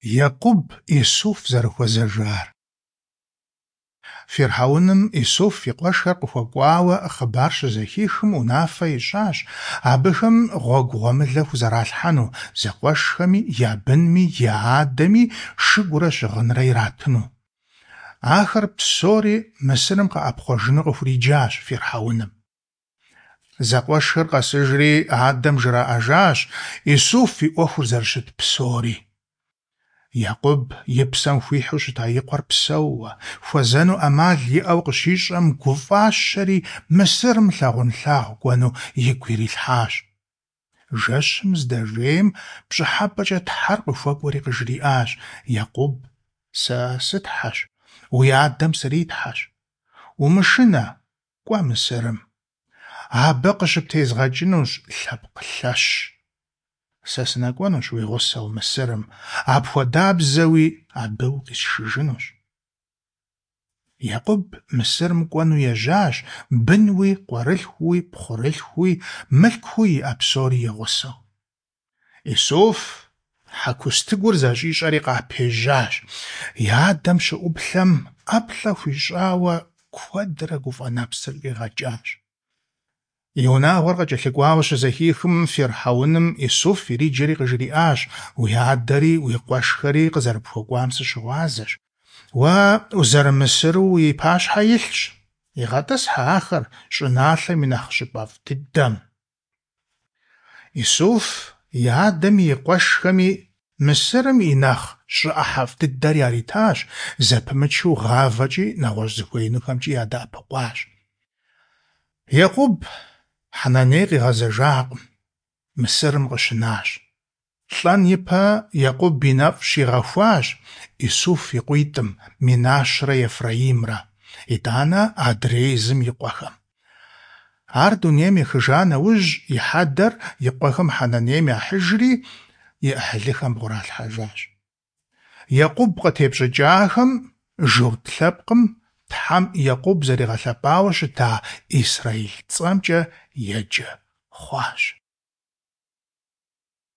Екъуб Исуф зэрыхуэзэжар. Фирхьэуным Исуф и къуэшхэр къыхуэкӀуауэ хъыбар щызэхихым, унафэ ищӀащ абыхэм гъуэгу гъуэмылэ хузэралъхьэну, зэкъуэшхэми, я бынми, я адэми шыгурэ щыгъынрэ иратыну. Ахэр псори Мысырым къэӀэпхъуэжыну къыхуриджащ фирхьэуным. Зэкъуэшхэр къэсыжри адэм жраӀэжащ Исуф и Ӏуэхур зэрыщыт псори. Екъуб и псэм хуихьу щыта и къуэр псэууэ, хуэзэну ӏэмал иӀэу къыщищӀэм, гуфӀащэри Мысырым лъагъунлъагъу кӀуэну игу ирилъхьащ. Жэщым здэжейм пщӀыхьэпӀэкӀэ Тхьэр къыхуэкӀуэри къыжриӀащ: Екъуб, сэ сы-Тхьэщ, уи адэм сри-Тхьэщ. Умышынэ, кӀуэ Мысырым. Абы къыщыптезгъэкӀынущ лъэпкъ лъэщ. Сэ сынэкӀуэнущ уи гъусэу Мысырым, апхуэдабзэуи абы укъисшыжынущ. Екъуб Мысырым кӀуэну ежьащ, бынуи, къуэрылъхууи, пхъурылъхууи, мылъкууи иӀэ псори и гъусэу. Исуф хьэкустыгур зэщӀищӀэри къапежьащ. И адэм щыӀуплъэм, ӀэплӀэ хуищӀауэ куэдрэ гуфӀэ нэпсыр щӀигъэкӀащ. И унагъуэр къыкӀэлъыкӀуауэ щызэхихым, фирхьэуным Исуф ириджэри къыжриӀащ: Уи адэри уи къуэшхэри къызэрыпхуэкӀуам сыщыгъуазэщ. Уэ узэрымысыру уи пащхьэ илъщ. ИгъэтӀысхьэ ахэр щӀыналъэм и нэхъ щӀыпӀэфӀ дыдэм. Исуф и адэми и къуэшхэми Мысырым и нэхъ щӀы ӀыхьэфӀ дыдэр яритащ, зэпымычу гъавэкӀи нэгъуэщӀ зыхуеинухэмкӀи ядэӀэпыкъуащ. Екъуб Хьэнаней къигъэзэжакъым, Мысырым къыщынащ. ЛӀэн ипэ Екъуб и нэфӀ щигъэхуащ Исуф и къуитӀым, Минашрэ Ефраимрэ, итӀанэ адрей зым и къуэхэм. Ар дунейм ехыжа нэужь, и хьэдэр и къуэхэм Хьэнанейм яхьыжри, и Ӏыхьлыхэм бгъуралъхьэжащ. Екъуб къытепщӀыкӀахэм, журт лъэпкъым, Тхьэм Екъуб зэригъэлъэпӀауэ щыта Исраил цӀэмкӀэ еджэ хъуащ.